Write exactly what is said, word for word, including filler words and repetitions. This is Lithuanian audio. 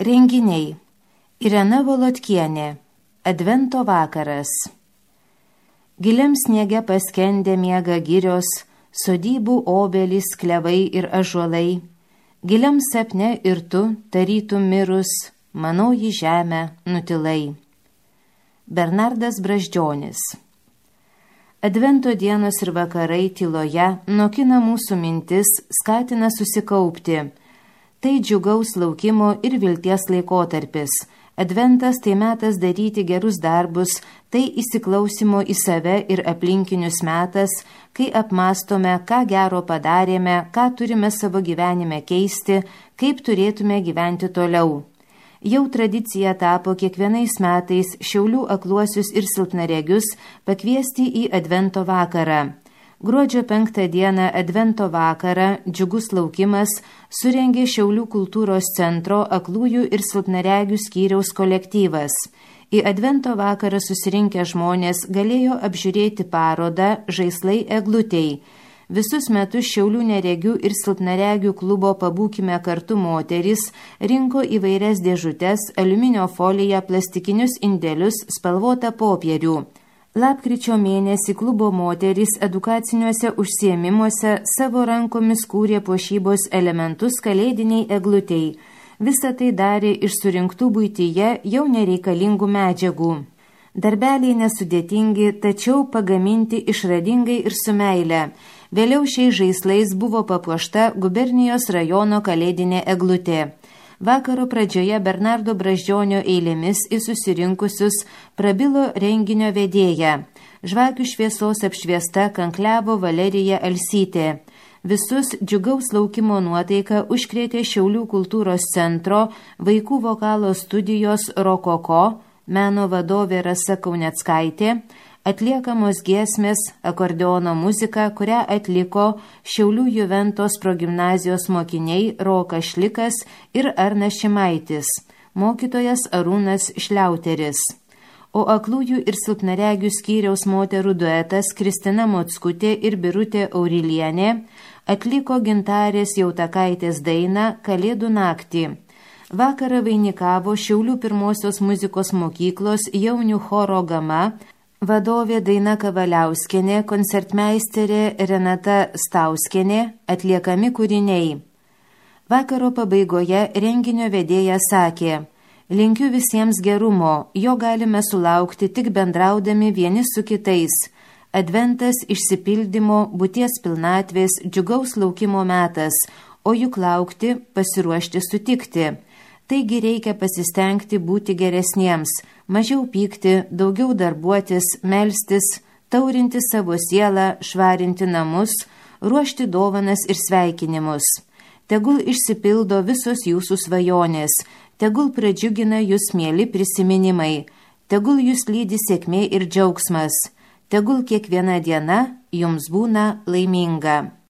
Renginiai. Irena Volodkienė. Advento vakaras. Giliam sniege paskendę miega girios, sodybų obelys, klevai ir ąžuolai. Giliam sapne ir tu, tarytum mirus, manoji žemę nutilai. Bernardas Brazdžionis. Advento dienos ir vakarai tyloje nokina mūsų mintis, skatina susikaupti. Tai džiugaus laukimo ir vilties laikotarpis. Adventas tai metas daryti gerus darbus, tai įsiklausimo į save ir aplinkinius metas, kai apmastome, ką gero padarėme, ką turime savo gyvenime keisti, kaip turėtume gyventi toliau. Jau tradicija tapo kiekvienais metais Šiaulių akluosius ir silpnaregius pakviesti į Advento vakarą. Gruodžio penktą dieną Advento vakarą džiugus laukimas surengė Šiaulių kultūros centro aklųjų ir silpnaregių skyriaus kolektyvas. Į Advento vakarą susirinkę žmonės galėjo apžiūrėti parodą Žaislai eglutei. Visus metus Šiaulių neregių ir silpnaregių klubo Pabūkime kartu moterys rinko įvairias dėžutes, aliuminio foliją, plastikinius indelius, spalvotą popierių. Lapkričio mėnesį klubo moterys edukaciniuose užsiėmimuose savo rankomis kūrė puošybos elementus kalėdiniai eglutei. Visą tai darė iš surinktų buityje jau nereikalingų medžiagų. Darbeliai nesudėtingi, tačiau pagaminti išradingai ir su meile. Vėliau šiais žaislais buvo papuošta gubernijos rajono kalėdinė eglutė. Vakaro pradžioje Bernardo Brazdžionio eilėmis į susirinkusius prabilo renginio vedėja. Žvakių šviesos apšviesta kankliavo Valerija Alsytė. Visus džiugaus laukimo nuotaiką užkrėtė Šiaulių kultūros centro vaikų vokalo studijos Rokoko, meno vadovė Rasa Kauneckaitė, atliekamos giesmės, akordeono muzika, kurią atliko Šiaulių Juventos progimnazijos mokiniai Rokas Šlikas ir Arnas Šimaitis, mokytojas Arūnas Šliauteris. O aklųjų ir silpnaregių skyriaus moterų duetas Kristina Mockutė ir Birutė Aurilienė atliko Gintarės Jautakaitės dainą Kalėdų naktį. Vakarą vainikavo Šiaulių pirmosios muzikos mokyklos jaunių choro Gama, vadovė Daina Kavaliauskienė, koncertmeisterė Renata Stauskienė, atliekami kūriniai. Vakaro pabaigoje renginio vedėja sakė: linkiu visiems gerumo, jo galime sulaukti tik bendraudami vieni su kitais. Adventas išsipildymo, būties pilnatvės, džiugaus laukimo metas, o juk laukti, pasiruošti sutikti. Taigi reikia pasistengti būti geresniems, mažiau pykti, daugiau darbuotis, melstis, taurinti savo sielą, švarinti namus, ruošti dovanas ir sveikinimus. Tegul išsipildo visos jūsų svajonės, tegul pradžiugina jūs mieli prisiminimai, tegul jūs lydi sėkmė ir džiaugsmas, tegul kiekviena diena jums būna laiminga.